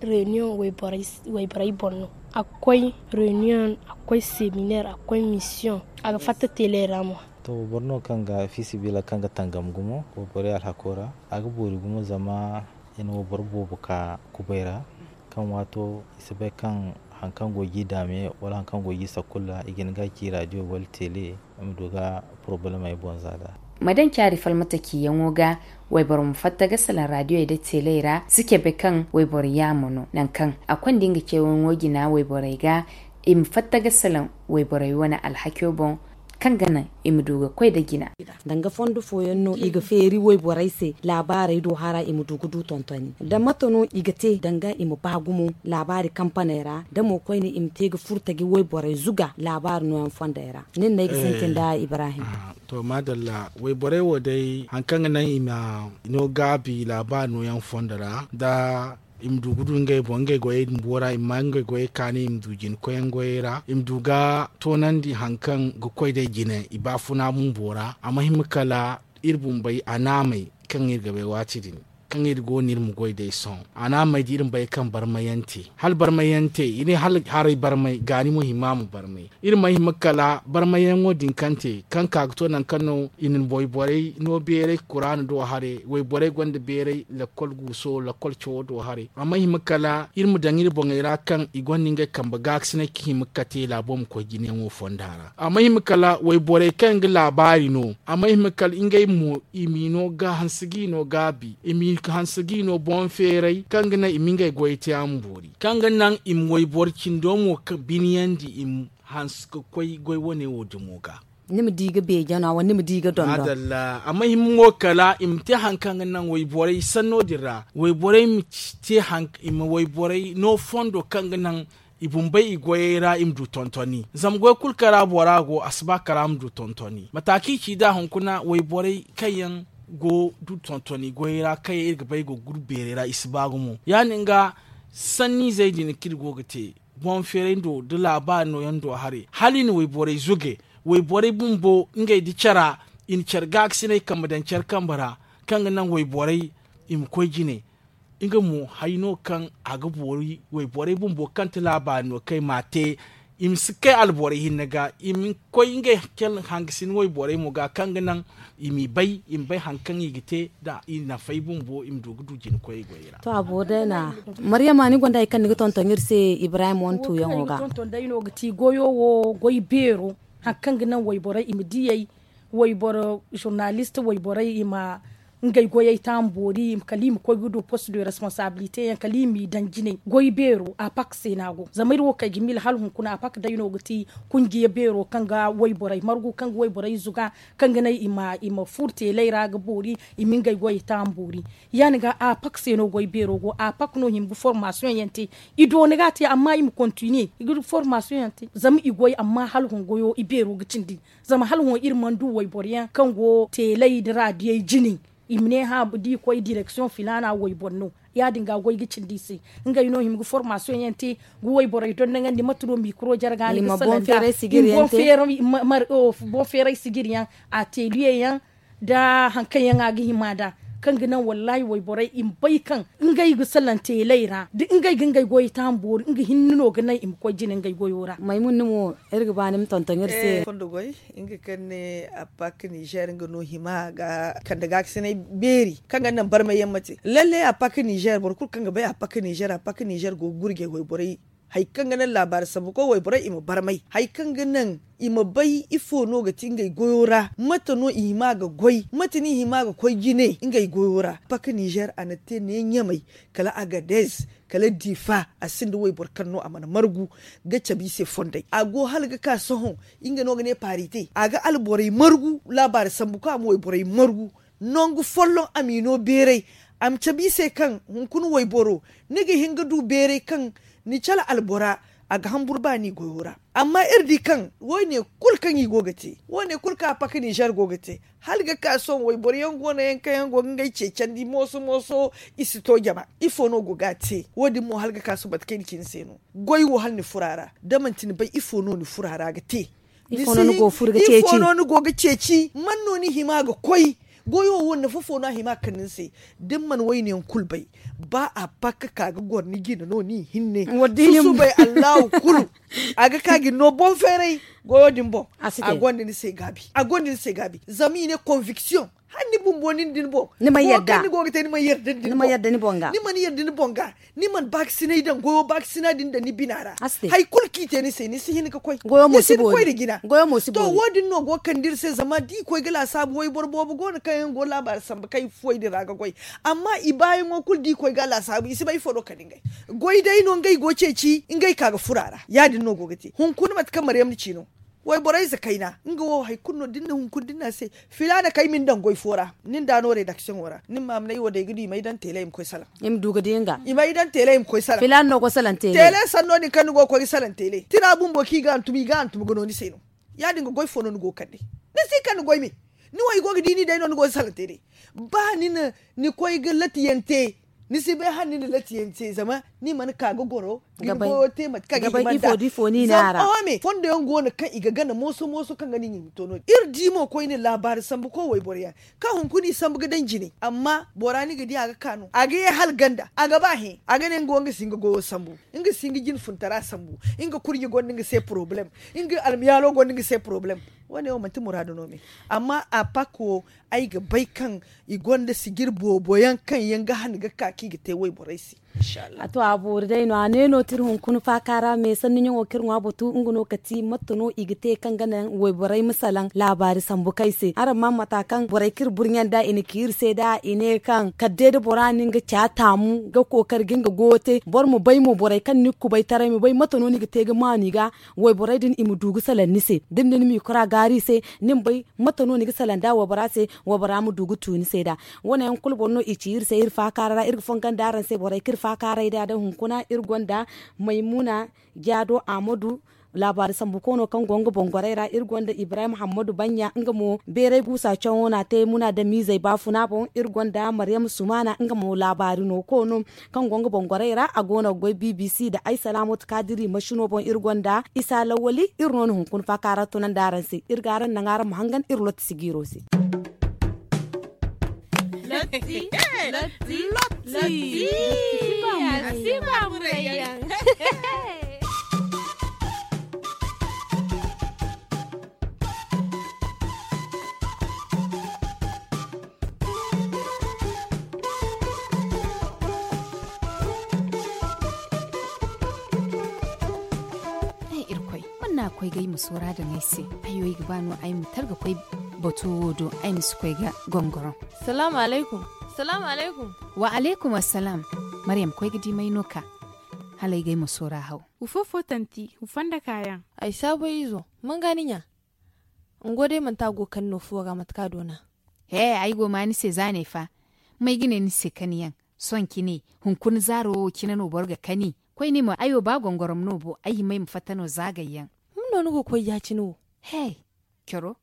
reunion wayborey boŋ no. A ga koy reunion, a ga koy seminaire, a ga koy mission, a ga fatta teeley ra mo. To, boro no kaŋ ga fiisabilillahi kaŋ ga tangam gumo wayborey alhako ra. A ga boori gumo zama i na wayboro boobo ka kubay ra kaŋ waato i si bay kaŋ hari kaŋ go ga i daame wala hari kaŋ go ga i sakulla i ga hin ga a ci raadiyo wala teele. I ma du ga porobalemey boŋ za nd'a. Ma daŋ caari falmata ciyaŋo ga wayboro ma fatta ga salaŋ raadiyowey nda teeley ra si cabe kaŋ wayboro yaamo no nangu kaŋ a konda nga ceeyaŋo jina wayborey ga. I ma fatta ga salaŋ wayborey wane alhakiyo boŋ. kaŋ ga naŋ i ma du ga koy nda jina. Danga fondo fooyaŋ no i ga feeri wayborey se laabaarey do hara i ma du ga du tontoni nda mate no i ga te danga i ma ba gumo laabaari kampaney ra da mo koyne i ma te ga furta ga wayborey zuga laabaari nooyaŋ fondey ra. Nin no ay ga sintin nda ibrahim. To maadalla, wayborey wo day hari kaŋ ga naŋ i ma no gaabi laabaari nooyaŋ fondo ra nda i ma du ga du ngey boŋ ngey goyey bumbo ra i ma ma ngey goyey kaani i ma du jina koyyaŋ goyey ra i ma du ga toonandi hari kaŋ ga koy day jine i baafuna bumbo ra a ma hima kala iri bumbey a naamey kaŋ iri ga bay waati din kaŋ iri go no iri ma goy day sohõ a naamey da iri ma bay kaŋ barmayaŋ te hala barmayaŋ te i ne hala haray barmay gaani mo hima a ma barmay iri ma hima kala barmayaŋo din kaŋ te kaŋ ka ga to nangu kaŋ no i na wayborey no beeray kuraana do haray wayborey gonda beeray lakkol guuso lakkol cawo do haray a ma hima kala iri ma daŋ iri boŋey ra kaŋ i gonda ngey kambe gaakasinay ka hima ga kate laabo ma koy jinayaŋo fonda ra a ma hima kala wayborey kaŋ ga laabaari no a ma hima kala ngey mo i m'i no ga hanse g'i no gaabi i m'i hanse g'i no boŋ feeray kaŋ ga naŋ i ma ngey goyey te a ma boori kaŋ ga naŋ i ma wayboro cindo mo ka biniyandi i ma hanse ga koy goy wane wo dumo ga ni ma di ga beeja no a wala ni ma di ga dondon madalla a ma hima mo kala i ma te hari kaŋ ga naŋ wayborey sanno din ra wayborey ma te hari i ma wayborey no fondo kaŋ ga naŋ i bumbey i goyey ra i ma du tontoni zama goy kulu kaŋ ra bora go a si ba kala ma du tontoni mate kaŋ i ci nd'a hunkuna wayborey kaŋ yaŋ go du tontoni goyey ra kaŋ yaŋ iri ga bay go ga guru beerey ra i si ba gumo ya- din ga sanniizey din kaŋ iri go ga te boŋ feeray do nda laabaari nooyaŋ do haray hala i na wayborey zuge wayborey bumbo ngey nda care i na care gaakasinay kambe daŋ care kambe ra kaŋ ga naŋ wayborey i ma koy jine nga mo hari no kaŋ a ga boori wayborey bumbo kaŋ ti laabaari no kaŋ i m'a te i ma si kay alborey hinne ga i ma koy ngey hangasin wayborey mo ga kaŋ ga naŋ i m'i bay i ma bay hari kaŋ i ga te nda i nafey bumbo i ma du ga du jina koyey goyey ra to a boori day no a maryama ni gonda hari kaŋ ni ga tonton iri se ibrahim wane tuuyaŋo ga tonton day no ga ti goyo wo goy beero hari kaŋ ga naŋ wayborey i ma diyey wayboro zurnalist wayborey i ma ngey goyey taamu boori kala i ma koy ga du post de responsabilité yaŋ kala i m'i daŋ jinay goy beero a pak se no a go zama iri wo kay ga miila hala hunkuna a pak day no ga ti kunjiya beero kaŋ ga wayborey margu kaŋ ga wayborey zuga kaŋ ga naŋ i ma furo teelay ra ga boori i ma ngey goyey taamu boori ya- din ga a pak se no goy beero go a pak no hima ga formasiyoŋ yaŋ te i doona ga a te amma i ma kontiniye i ga formasiyoŋ yaŋ te zama i goy amma hala hungoyo i beero ga cindi zama hala hõ iri mana du wayboro yaŋ kaŋ go teelay nda raadiyey jine i ma ne hã da i koy direksiyoŋ filaana wayboro no ya- din ga goy ga cindi i se ngey no hima ga formasiyoŋ yaŋ te ga wayborey dondoŋandi mate no mikro jarga ni ga salaŋ nd'a i ma boŋ feeray sijiri yaŋ te boŋ feeray sijiri yaŋ a teeliye yaŋ nda hari kaŋ yaŋ a ga hima nd'a kaŋ ga naŋ wallaahi wayborey i ma bay kaŋ ngey ga salaŋ teelay ra da ngey ga ngey goyey taamu boori nga hinne no ga naŋ i ma koy jine ngey goyo ra maymun ni mo iri ga ba ni ma tonton iri se fondo goy nga kaŋ ne a pak nizer nga no hima ga kande gaakasinay beeri kaŋ ga naŋ barmay yaŋ ma te lalle a pak nizer boro kulu kaŋ ga bay a pak nizer a pak nizer go ga gurjay wayborey hari kaŋ ga naŋ laabaari sambu koy wayborey i ma barmay hari kaŋ ga naŋ i ma bay ifo no ga ti ngey goyo ra mate no i hima ga goy mate no i hima ga koy jine ngey goyo ra pak nizer a na te ne ɲamay kala agadez kala difa a sinda wayboro kaŋ no a mana margu ga cabe i se fondey a go hala ga ka sohõ nga no ga ne paari te a ga alborey margu laabaari sambu kaŋ a ma wayborey margu nangu folloŋ a m'i no beeray a ma cabe i se kaŋ hunkuna wayboro ni ga hin ga du beeray kaŋ ni cala albora a ga hamburu ba ni goyo ra amma iri di kaŋ wo- ne kulu kaŋ i go ga te wo- ne kulu kaŋ a pak nizer go ga te hala ga ka sohõ wayboro yaŋ go no yaŋ kaŋ yaŋ go ga ngey ceecandi mooso mooso i si to jama ifo no go ga a te wo- din mo hala ga ka sohõ mate kaŋ ay na ci ni se no goy wo hala ni furo a ra da manti ni bay ifo no ni furo a ra ga te ifo no ni go ga ceeci man no ni hima ga koy goyo wo nafa fo no a hima ga kande ni se da ni mana wayne yaŋ kulu bay ba a pak ka ga goro ni jina no ni hinne susubay allahu kulu a ga ka ga ni no boŋ feeray goyo din boŋ a gonda ni se gaabi a gonda ni se gaabi zama i ne konviksiyoŋ hala ni bumbo nin din boŋ ni mana yadda ni boŋ ga ni mana yadda ni boŋ ga ni mana baakasinay daŋ goyo baakasinay din daŋ ni bina ra hari kulu kaŋ i te ni se ni si hin ga koy ni si hin ga koy nda jina to wo- din no go ga kande iri se zama da i koy ga laasaabu wayboro boobo go no kaŋ yaŋ go laabaari sambu kaŋ i fuwey din ra ga goy amma i baayaŋo kulu da i koy ga a laasaabu i si bay ifo no ga kande ngey goy day no ngey go ceeci ngey ka ga furo a ra ya- din no go ga te hunkuna mate kaŋ maryam na ci no Wayborey ze kayna nga wo hari kulu no da ni na hunkuna da ni na a se, filaana kaŋ ay ma ni daŋ goy fo ra, ni nda no redaksiyoŋo ra ni ma ma ne ay wo day ga du i ma ay daŋ teele i ma koy salaŋ. I ma du ga di nga i ma ay daŋ teele i ma koy salaŋ. Filaana no go salaŋ teele. Teele sanno din kaŋ ni go ga koy ga salaŋ teele tira bumbo kaŋ i ga hantum i ga hantum ga no ni se no. Ya- din ga goy fo no ni go ga kande. Ni si kande goy me. Ni wo i go ga di ni day no ni go ga salaŋ teele. Ba ni na ni koy ga latiyaŋ te, ni si bay hala ni na latiyaŋ te zama ni mana ka ga goro ga ni goyo te mate kaŋ ga hima nda. Zama oho me fondo yaŋ go no kaŋ i ga gana mooso mooso kaŋ ga no i ma hin ga to no- din iri di mo koyne laabaari sambu koy wayboro yaŋ kaŋ hunkuna i sambu ga daŋ jine. Amma bora ni ga di a ga ka no a ga ye hala ganda a ga ba hẽ a ga ne nga wo nga si hin ga goyo sambu, nga si hin ga jine funtara sambu, nga kurɲe gonda nga se porobalem, nga almiyaalo gonda nga se porobalem. Wo- ne wo manti muraadu no me. Amma a pak wo ay ga bay kaŋ i gonda sijir boobo yaŋ kaŋ yaŋ ga han ga ka kaŋ i ga te wayborey se. A to a boori day no a ne no tira hunkuna faaka ra me sanni ɲaŋo kaŋ iri ŋwa batu nga no kati mate no i ga te kaŋ ga naŋ wayborey ma salaŋ laabaari sambu kaŋ ay se araŋ ma mata kaŋ borey kaŋ iri burɲe nd'a i na ci iri se da i ne kaŋ kala day da bora na nga ca taamu ga kookari ga nga goyo te boro ma bay mo borey kaŋ ni kubay taray ma bay mate no ni ga te ga maanu i ga wayborey din i ma du ga salaŋ ni se da ni na ni ma i kora gaari i se ni ma bay mate no ni ga salaŋ nd'a waybora se waybora ma du ga tu ni se nd'a. Wo- ne yaŋ kulu boro no i ci iri se iri faakaara ra iri ga fongondi araŋ se borey kaŋ iri faakaaray nd'a da hunkuna iri gonda maymuna jaado ahmadu laabaari sambu koono kaŋ go nga boŋ gorey ra iri gonda ibrahim hammadu baɲɲa nga mo beeray guusa cawo no a te muna damiizey baafuna boŋ iri gonda maryam sumaana nga mo laabaari no koono kaŋ go nga boŋ gorey ra a go no ga goy bbc nda ay salaamatu kaadiri masino boŋ iri gonda isa lawwali iri no na hunkuna faakaara tunandi araŋ se iri ga araŋ naŋ araŋ ma hangan iri lotti sijiiro se. Lotti. Lotti. Lotti. Lotti. Lotti. Lotti. Lotti. Lotti. Lotti. Lotti. Ay irkoy, man no a koy ga ay ma soora daŋ ay se? Ay wo ay ga ba no ay ma targa koy bato wo do ay ma si koy ga gongoroŋ. Salaamu alaykum. Salaamu alaykum. Wa alaykum assalaam. Maryam koy ga di may no ka hala ay ga ay ma soora haw. Wu fo fo tanti wu fonda kaayaŋ. Ay saabay izo, man ga ni ɲa? Nga wo day manti a go ga kani no fuwo ra mate kaŋ a doona. He, ay go ma ni se za ne fa. May ga ne ni se kaniyaŋ? Sohõ cine hunkuna zaaro wo cine no boro ga kani. Koyne mo ay wo ba gongorom no bo ay hima ay ma fatta no zaagayyaŋ. Hun no ni go ga koy ya-cine wo? He, coro,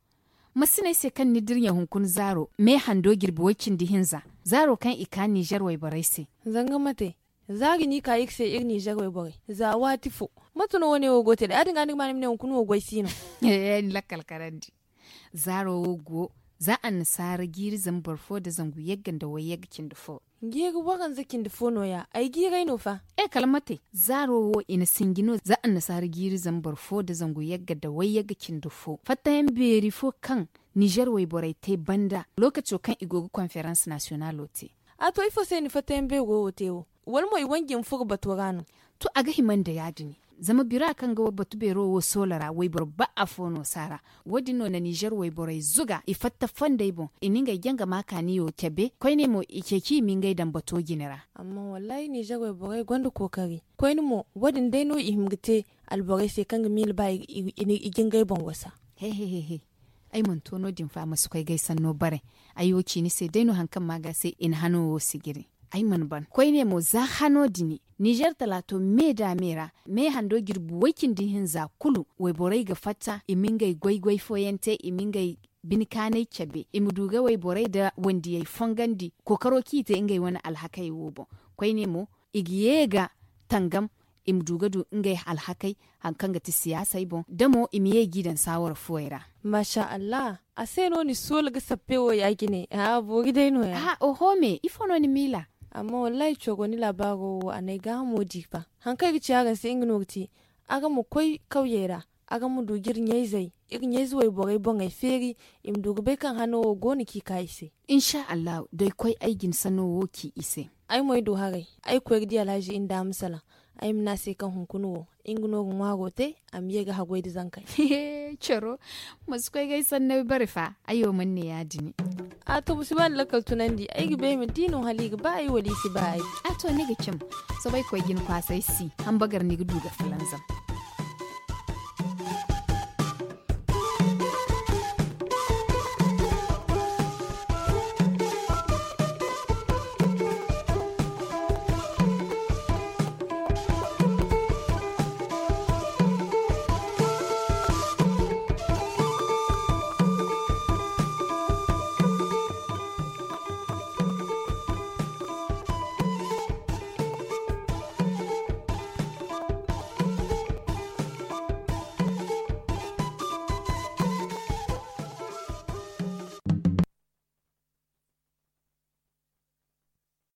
ma si ne ay se kaŋ ni dirɲa hunkuna zaaro me hando jirbi way-cindi hinza, zaaro kaŋ i ka ninzeer wayborey se. Zanga mate? Za ga ni ka iri se iri ninzeer wayborey za waati fo. Mate no wo- ne wo go ga te day ya- din ga ni ga ma ni ma ne hunkuna wo goy si no? Ni lakkal karandi. Zaaro wo go za annasaara jiiri zambar fo nda zangu yagga nda wayyagga cindi fo. Jiiri waranza cindi fo no- ya ay jiiray no fa. E kala mate zaaro wo i na sinji no za annasaara jiiri zambar fo nda zangu yagga nda wayyagga cindi fo fattayaŋ beeri fo kaŋ ninzeer wayborey te banda lookaco kaŋ i go ga konferans nasiyonalo te. A to ifo se ni fattayaŋ beero wo te wo? Wala mo i wanji ma furo bato ra no? To a ga hima nda ya- din. Zama bira kaŋ ga batu beero wo soola ra wayboro ba afo no saara. Wo- din no na ninzeer wayborey zuga i fatta fondey boŋ i na ngey janga ma kaaniyo cabe koyne mo i ceeci i ma ngey daŋ bato jine ra. Amma wallaahi ninzeer wayborey gonda kookari. Koyne mo wo- din day no i hima ga te alborey se kaŋ ga miila ba i ga ngey boŋ wasa. He he he he. Ay mana to no- din fa ma si koy ga ay sanno bare. Ay wo ci ni se day no hari kaŋ ma ga se i na hano wo sijiri. Ay mana ban koyne mo za hano dini ninzeer talaato me da me ra me hando jirbi way-cindi hinza kulu wayborey ga fatta i ma ngey goy-goy fooyaŋ te i ma ngey bine kaanay cabe i ma du ga wayborey nda wandiyey fongandi kookaro kaŋ i te ngey wane alhakey wo boŋ. Koyne mo i ga ye ga tangam i ma du ga du ngey alhakey hari kaŋ ga ti siyaasey boŋ da mo i ma ye g'i daŋ saawara fuwey ra. Maasa allah. A se no ni soola ga sappe wo ya- cine a boori day no- ya. Oho me ifo no ni miila? Amma wallaahi coro ni laabaaro wo a na ay gaahamo di fa. Hari kaŋ ay ga ci araŋ se nga no ga ti, araŋ ma koy kawyey ra, araŋ ma du ga iri ɲayzey, iri ɲayze wayborey boŋey feeri, i ma du ga bay kaŋ hano wo go no kaŋ i ka i se. Insa allahu da ay koy ay ga ni sanno wo ci i se. Ay mo ay du haray. Ay koy ga di alhazi inda ma salaŋ. Ay ma ne a se kaŋ hunkuna wo nga no ga ŋwaaro te, a ma ye ga haggoy nda zankey. Coro, ma si koy ga ay sanney bare fa. Ay wo mana ne ya- din. A to ma si ba ni lakkal tunandi ay ga bay ay ma di no hala i ga ba ay wala i si ba ay. A to ni ga cim. Soobay koy ga ni kwaasay si. Hambagar ni ga du ga falanzam.